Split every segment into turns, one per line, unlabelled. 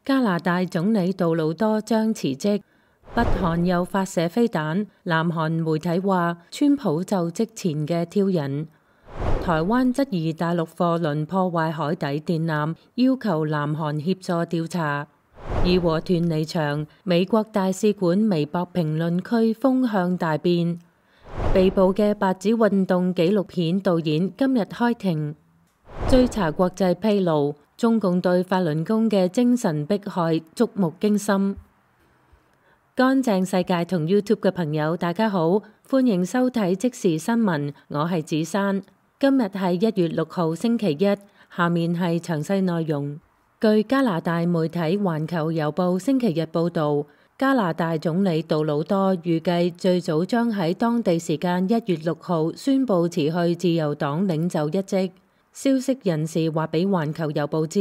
加拿大總理杜魯多將辭職，北韓又發射飛彈，南韓媒體話川普就職前嘅挑釁。台灣質疑大陸貨輪破壞海底電纜，要求南韓協助調查。義和團離場，美國大使館微博評論區風向大變。被捕嘅白紙運動紀錄片導演今日開庭。追查國際披露，中共對法輪功嘅精神迫害觸目驚心。乾淨世界同 YouTube 嘅朋友大家好，歡迎收睇即時新聞，我係子珊。今日係1月6號星期一，下面係詳細內容。據加拿大媒體環球郵報星期日報導，加拿大總理杜魯多預計最早將喺當地時間1月6號宣布辭去自由黨領袖一職。消息人士話俾環球郵報知，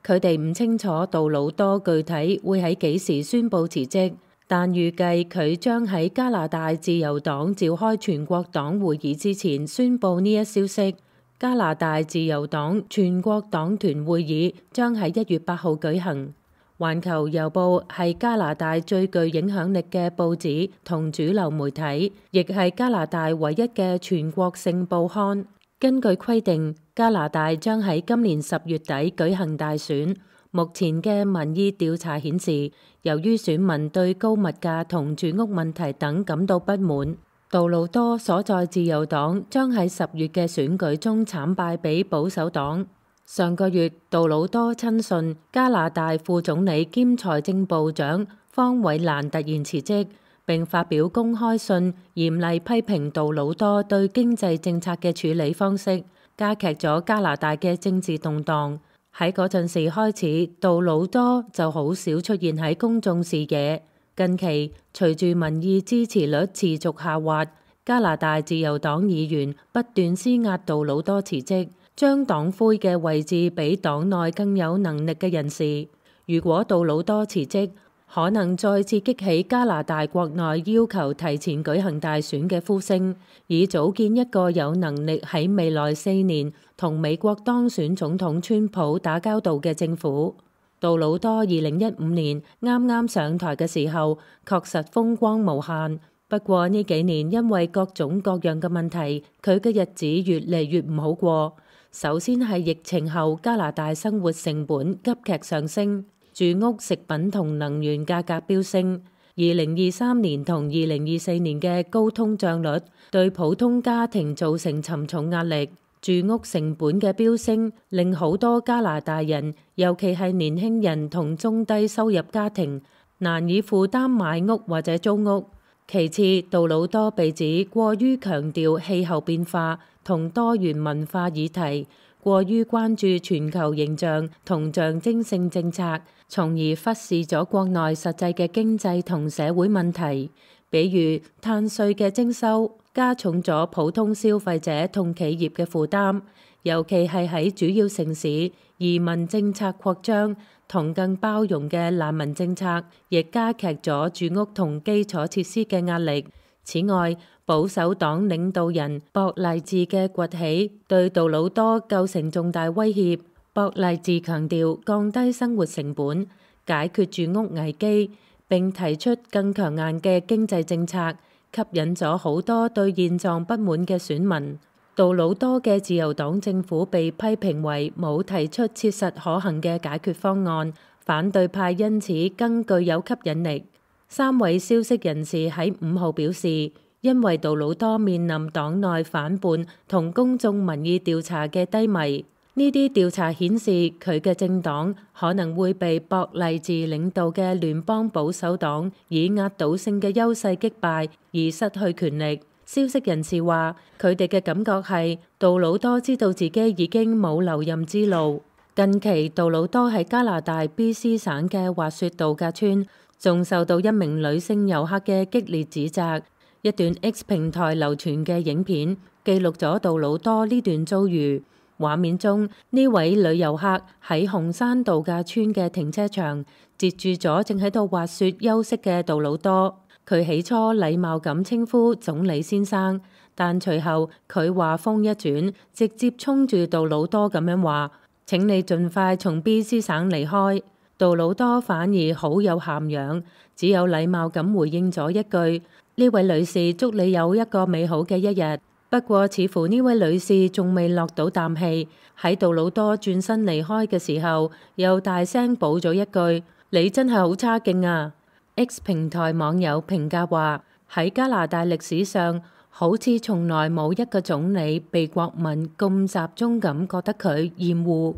佢哋唔清楚杜魯多具體會喺幾時宣布辭職，但預計佢將喺加拿大自由黨召開全國黨會議之前宣布呢一消息。加拿大自由黨全國黨團會議將喺1月8號舉行。環球郵報係加拿大最具影響力嘅報紙同主流媒體，亦係加拿大唯一嘅全國性報刊。根據規定，加拿大將喺今年10月底舉行大選。目前嘅民意調查顯示，由於選民對高物價同住屋問題等感到不滿，杜魯多所在自由黨將喺10月嘅選舉中慘敗俾保守黨。上個月，杜魯多親信加拿大副總理兼財政部長方偉蘭突然辭職，並發表公開信，嚴厲批評杜魯多對經濟政策嘅處理方式，加劇咗加拿大嘅政治動盪。喺嗰陣時開始，杜魯多就好少出現喺公眾視野。近期，隨住民意支持率持續下滑，加拿大自由黨議員不斷施壓杜魯多辭職，將黨魁嘅位置俾黨內更有能力嘅人士。如果杜魯多辭職，可能再次激起加拿大國內要求提前舉行大選嘅呼聲，以組建一個有能力喺未來4年同美國當選總統川普打交道嘅政府。杜魯多2015年啱啱上台嘅時候，確實風光無限。不過呢幾年因為各種各樣嘅問題，佢嘅日子越嚟越唔好過。首先係疫情後加拿大生活成本急劇上升，住屋、食品同能源價格飆升。2023年同2024年嘅高通脹率對普通家庭造成沉重壓力。住屋成本嘅飆升令好多加拿大人，尤其係年輕人同中低收入家庭，難以負擔買屋或者租屋。其次，杜魯多被指過於強調氣候變化同多元文化議題，過於關注全球形象同象徵性政策，從而忽視咗國內實際嘅經濟同社會問題，比如碳稅嘅徵收，加重咗普通消費者同企業嘅負擔，尤其係喺主要城市，移民政策擴張同更包容嘅難民政策，亦加劇咗住屋同基礎設施嘅壓力。此外，保守黨領導人博勵治嘅崛起對杜魯多構成重大威脅。博勵治強調降低生活成本，解決住屋危機，並提出更強硬嘅經濟政策，吸引咗好多對現狀不滿嘅選民。杜魯多嘅自由黨政府被批評為冇提出切實可行嘅解決方案，反對派因此更具有吸引力。3位消息人士喺5號表示，因為杜魯多面臨黨內反叛同公眾民意調查嘅低迷，呢啲調查顯示佢嘅政黨可能會被博勵治領導嘅聯邦保守黨以壓倒性嘅優勢擊敗而失去權力。消息人士話，佢哋嘅感覺係杜魯多知道自己已經冇留任之路。近期，杜魯多喺加拿大 BC 省嘅滑雪度假村，仲受到一名女性遊客嘅激烈指責。一段 X 平台流傳嘅影片記錄咗杜魯多呢段遭遇。畫面中，呢位女遊客喺紅山度假村嘅停車場截住咗正喺度滑雪休息嘅杜魯多。佢起初禮貌咁稱呼總理先生，但隨後佢話風一轉，直接衝住杜魯多咁樣話：請你盡快從 BC 省離開。杜魯多反而好有涵養，只有禮貌咁回應咗一句：呢位女士，祝你有一個美好嘅一日。不過似乎呢位女士仲未落到啖氣，喺杜魯多轉身離開嘅時候，又大聲補咗一句：你真係好差勁啊！X 平台網友評價話：喺加拿大歷史上，好似從來冇一個總理被國民咁集中咁覺得佢厭惡。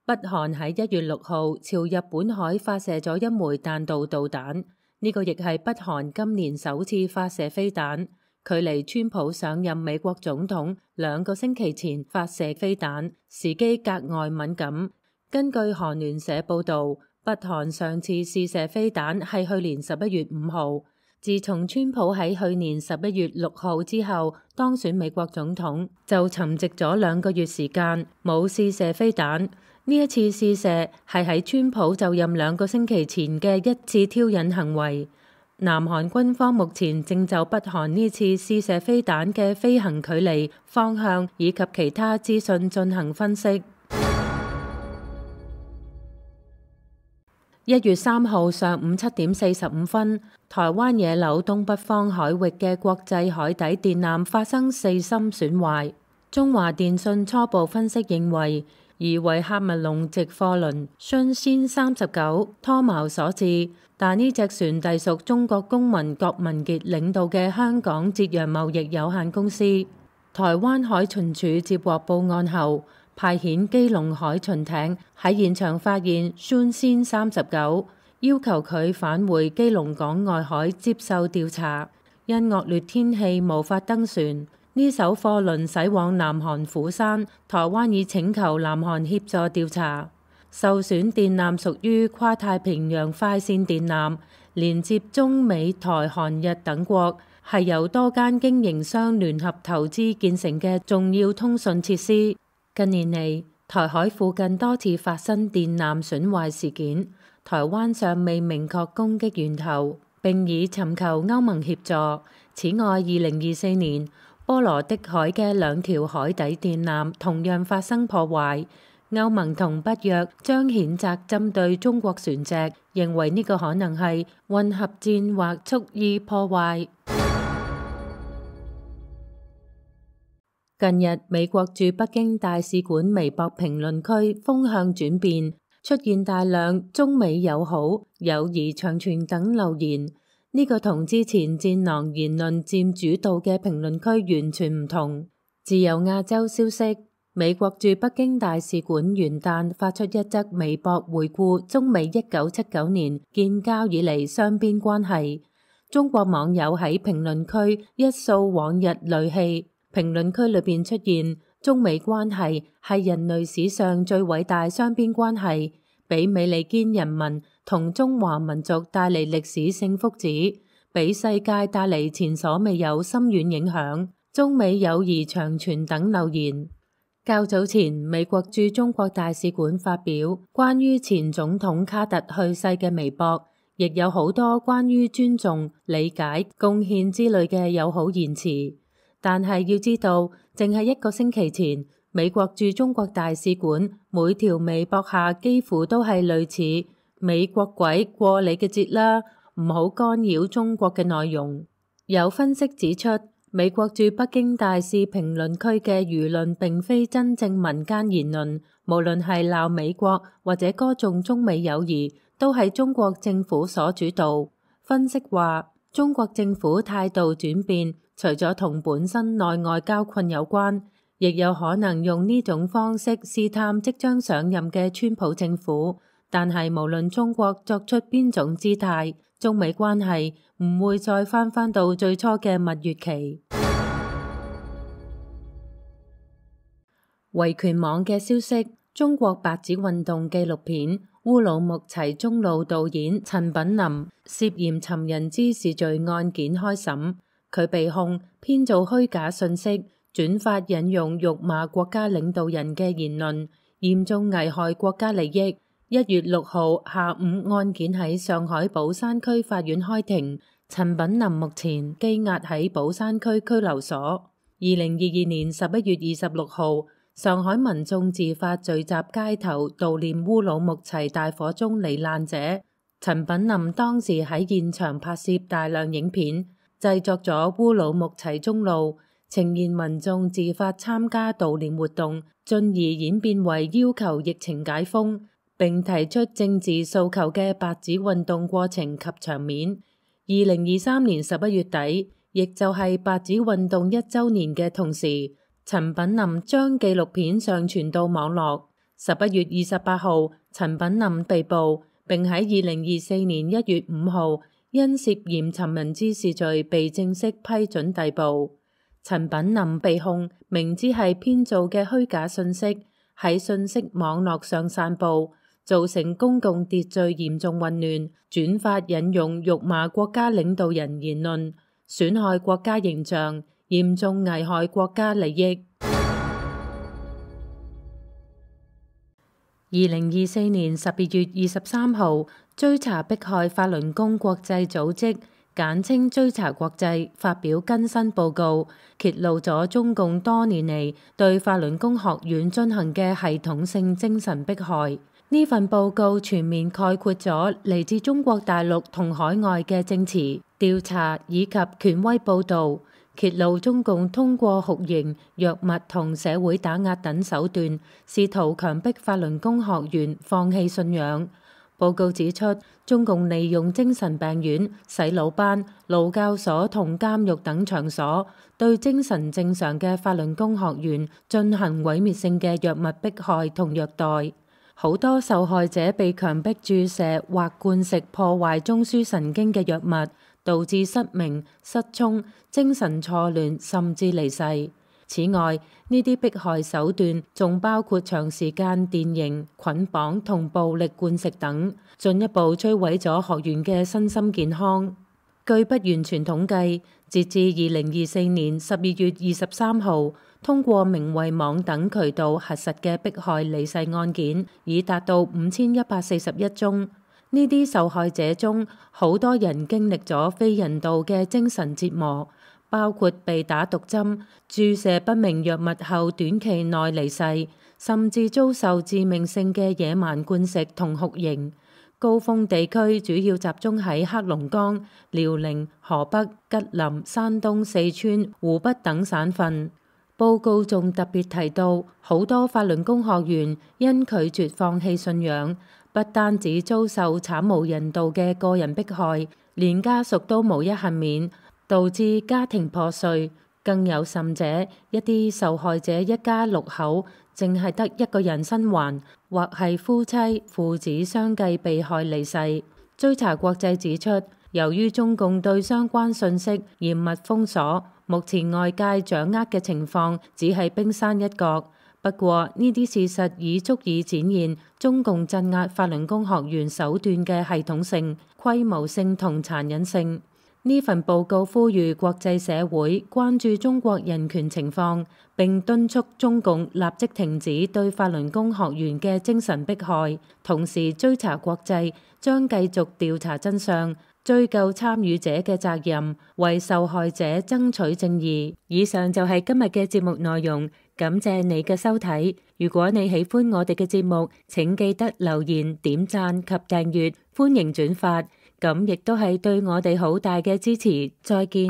北韓喺1月6號朝日本海發射咗一枚彈道導彈，呢個亦係北韓今年首次發射飛彈，距離川普上任美國總統2個星期前發射飛彈，時機格外敏感。根據韓聯社報導，北韓上次試射飛彈係去年11月5號。自從川普喺去年11月6號之後當選美國總統，就沉寂咗2個月時間冇試射飛彈。呢一次試射係喺川普就任2個星期前嘅一次挑釁行為。南韓軍方目前正就北韓呢次試射飛彈嘅飛行距離、方向以及其他資訊進行分析。1月3號上午7點45分，台灣野柳東北方海域嘅國際海底電纜發生4芯損壞。中華電信初步分析認為，疑為喀麥隆籍貨輪信仙39拖錨所致，但呢隻船隸屬中國公民郭文傑領導嘅香港捷洋貿易有限公司。台灣海巡署接獲報案後，派遣基隆海巡艇喺現場發現信仙39，要求佢返回基隆港外海接受調查。因惡劣天氣無法登船。呢艘貨輪駛往南韓釜山，台灣已請求南韓協助調查。受損電纜屬於跨太平洋快線電纜，連接中美台韓日等國，係由多間經營商聯合投資建成嘅重要通訊設施。近年嚟，台海附近多次發生電纜損壞事件，台灣尚未明確攻擊源頭，並已尋求歐盟協助。此外，2024年，波羅的海嘅2條海底電纜同樣發生破壞，歐盟同北約將譴責針對中國船隻，認為呢個可能係混合戰或蓄意破壞。近日，美國駐北京大使館微博評論區風向轉變，出現大量中美友好、友誼長存等留言。呢個同之前戰狼言論佔主導嘅評論區完全唔同。自由亞洲消息，美國駐北京大使館元旦發出一則微博回顧中美1979年建交以嚟雙邊關係。中國網友喺評論區一掃往日戾氣，評論區裏邊出現中美關係係人類史上最偉大雙邊關係，俾美利堅人民同中華民族帶嚟歷史性福祉，俾世界帶嚟前所未有深遠影響，中美友誼長存等留言。較早前，美國駐中國大使館發表關於前總統卡特去世嘅微博，亦有好多關於尊重、理解、貢獻之類嘅友好言辭。但係要知道，淨係1個星期前，美國駐中國大使館每條微博下幾乎都係類似美國鬼過你嘅節啦，唔好干擾中國嘅內容。有分析指出，美國駐北京大使評論區嘅輿論並非真正民間言論，無論係鬧美國或者歌頌中美友誼，都係中國政府所主導。分析話，中國政府態度轉變，除咗同本身內外交困有關，亦有可能用呢種方式試探即將上任嘅川普政府。但係無論中國作出邊種姿態，中美關係唔會再返到最初嘅蜜月期。維權網嘅消息，中國白紙運動紀錄片《烏魯木齊中路》導演陳品林涉嫌尋人滋事罪案件開審，佢被控編造虛假信息、轉發引用辱罵國家領導人嘅言論，嚴重危害國家利益。1月6號下午，案件喺上海寶山區法院開庭，陳品林目前羈押喺寶山區拘留所。2022年11月26號，上海民眾自發聚集街頭悼念烏魯木齊大火中罹難者。陳品林當時喺現場拍攝大量影片，製作咗烏魯木齊中路，呈現民眾自發參加悼念活動，進而演變為要求疫情解封，並提出政治訴求嘅白紙運動過程及場面。2023年11月底，亦就係白紙運動1週年嘅同時，陳品林將紀錄片上傳到網絡。11月28號，陳品林被捕，並喺2024年1月5號因涉嫌尋釁滋事罪被正式批准逮捕。陳品林被控明知係編造嘅虛假信息，喺信息網絡上散佈，造成公共秩序嚴重混亂，轉發引用辱罵國家領導人言論，損害國家形象，嚴重危害國家利益。2024年12月23號，追查迫害法輪功國際組織簡稱追查國際發表更新報告，揭露咗中共多年嚟對法輪功學院進行嘅系統性精神迫害。呢份報告全面概括咗嚟自中國大陸同海外嘅證詞、調查以及權威報導，揭露中共通過酷刑、藥物同社會打壓等手段，試圖強迫法輪功學員放棄信仰。報告指出，中共利用精神病院、洗腦班、勞教所同監獄等場所，對精神正常嘅法輪功學員進行毀滅性嘅藥物迫害同虐待。好多受害者被強迫注射或灌食破壞中樞神經嘅藥物，導致失明、失聰、精神錯亂，甚至離世。此外，呢啲迫害手段仲包括長時間電刑、捆綁同暴力灌食等，進一步摧毀咗學員嘅身心健康。據不完全統計，截至2024年12月23號，通過名為網等渠道核實嘅迫害離世案件已達到5141宗。呢啲受害者中，好多人經歷咗非人道嘅精神折磨，包括被打毒針、注射不明藥物後短期內離世，甚至遭受致命性嘅野蠻灌食同酷刑。高峰地區主要集中喺黑龍江、遼寧、河北、吉林、山東、四川、湖北等省份。報告仲特別提到，好多法輪功學員因拒絕放棄信仰，不單止遭受慘無人道嘅個人迫害，連家屬都無一幸免，導致家庭破碎。更有甚者，一啲受害者一家6口，淨係得一個人生還，或係夫妻、父子相繼被害離世。追查國際指出，由於中共對相關信息嚴密封鎖，目前外界掌握嘅情況只係冰山一角。不過呢啲事實已足以展現中共鎮壓法輪功學員手段嘅系統性、規模性同殘忍性。呢份報告呼籲國際社會關注中國人權情況，並敦促中共立即停止對法輪功學員嘅精神迫害，同時追查國際將繼續調查真相，追究參與者嘅責任，為受害者爭取正義。以上就係今日嘅節目內容，感謝你嘅收睇。如果你喜歡我哋嘅節目，請記得留言、點讚及訂閱，歡迎轉發。咁亦都係對我哋好大嘅支持。再見。